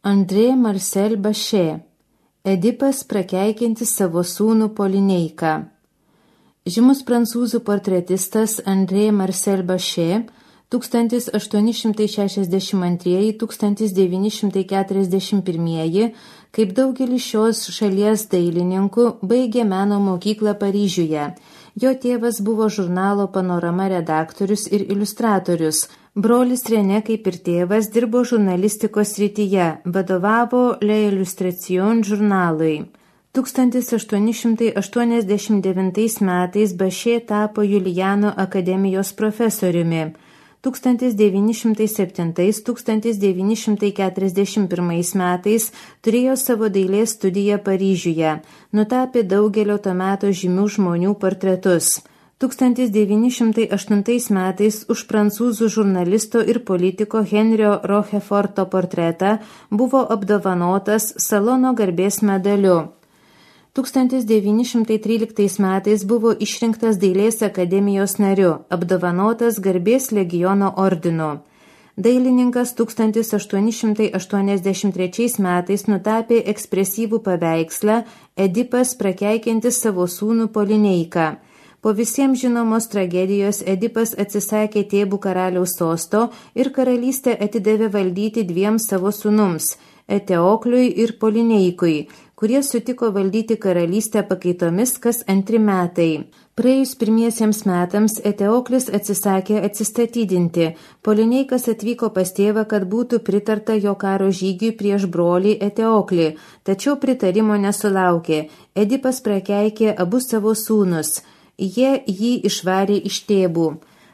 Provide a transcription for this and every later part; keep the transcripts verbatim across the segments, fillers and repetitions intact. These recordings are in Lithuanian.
André Marcel Bachet. Edipas prakeikiantis savo sūnų Polineiką. Žymus prancūzų portretistas André Marcel Bachet tūkstantis aštuoni šimtai šešiasdešimt antrieji - tūkstantis devyni šimtai keturiasdešimt pirmieji, kaip daugelis šios šalies dailininkų, baigė meno mokyklą Paryžiuje. Jo tėvas buvo žurnalo Panorama redaktorius ir iliustratorius. Brolis Renė, kaip ir tėvas, dirbo žurnalistikos srityje, vadovavo Le Illustration žurnalui. tūkstantis aštuoni šimtai aštuoniasdešimt devintais metais Bachet tapo Julijano akademijos profesoriumi. tūkstantis devyni šimtai septintais - tūkstantis devyni šimtai keturiasdešimt pirmais metais turėjo savo dailės studiją Paryžiuje, nutapė daugelio to meto žymių žmonių portretus. tūkstantis devyni šimtai aštuntais metais už prancūzų žurnalisto ir politiko Henrio Rocheforto portretą buvo apdovanotas Salono garbės medaliu. tūkstantis devyni šimtai tryliktais metais buvo išrinktas Dailės akademijos nariu, apdovanotas Garbės legiono ordinu. Dailininkas tūkstantis aštuoni šimtai aštuoniasdešimt trečiais metais nutapė ekspresyvų paveikslą Edipas prakeikiantis savo sūnų Polineiką. Po visiems žinomos tragedijos Edipas atsisakė Tėbų karaliaus sosto ir karalystę atidavė valdyti dviem savo sūnums – Eteokliui ir Polineikui, kurie sutiko valdyti karalystę pakaitomis kas antri metai. Praėjus pirmiesiems metams Eteoklis atsisakė atsistatydinti. Polineikas atvyko pas tėvą, kad būtų pritarta jo karo žygiui prieš brolį Eteoklį, tačiau pritarimo nesulaukė. Edipas prakeikė abu savo sūnus. Jie jį išvarė iš Tėbų.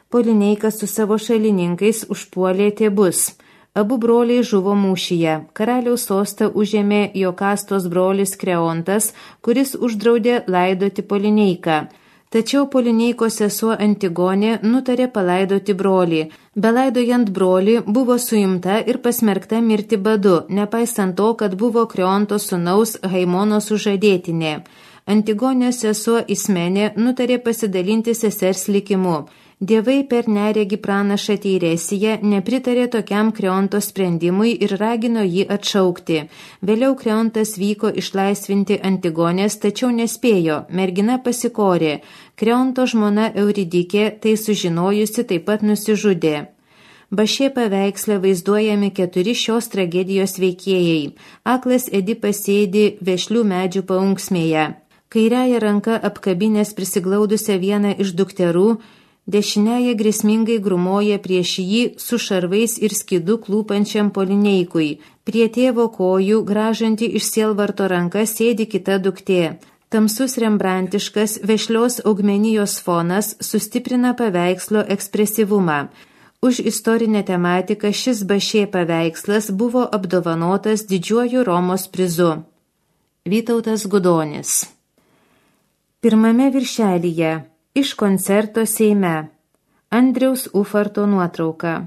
Polineikas su savo šalininkais užpuolė Tėbus. Abu broliai žuvo mūšyje. Karaliaus sostą užėmė Jokastos brolis Kreontas, kuris uždraudė laidoti Polineiką. Tačiau Polineiko sesuo Antigonė nutarė palaidoti brolį. Belaidojant brolį buvo suimta ir pasmerkta mirti badu, nepaisant to, kad buvo Kreonto sūnaus Haimono sužadėtinė. Antigonės sesuo Ismenė nutarė pasidalinti sesers likimu. Dievai per neregį pranašą Teiresiją nepritarė tokiam Kreonto sprendimui ir ragino jį atšaukti. Vėliau Kreontas vyko išlaisvinti Antigonės, tačiau nespėjo, mergina pasikorė. Kreonto žmona Euridikė, tai sužinojusi, taip pat nusižudė. Bachet paveiksle vaizduojami keturi šios tragedijos veikėjai. Aklas Edipas sėdi vešlių medžių paunksmėje. Kairiąja ranka apkabinės prisiglaudusią vieną iš dukterų, dešiniąja grėsmingai grumoja prieš jį su šarvais ir skydu klūpančiam Polineikui. Prie tėvo kojų, gražanti iš sielvarto ranka, sėdi kita duktė. Tamsus rembrantiškas vešlios augmenijos fonas sustiprina paveikslo ekspresyvumą. Už istorinę tematiką šis Bachet paveikslas buvo apdovanotas didžiuoju Romos prizu. Vytautas Gudonis. Pirmame viršelyje iš koncerto Seime. Andriaus Ufarto nuotrauka.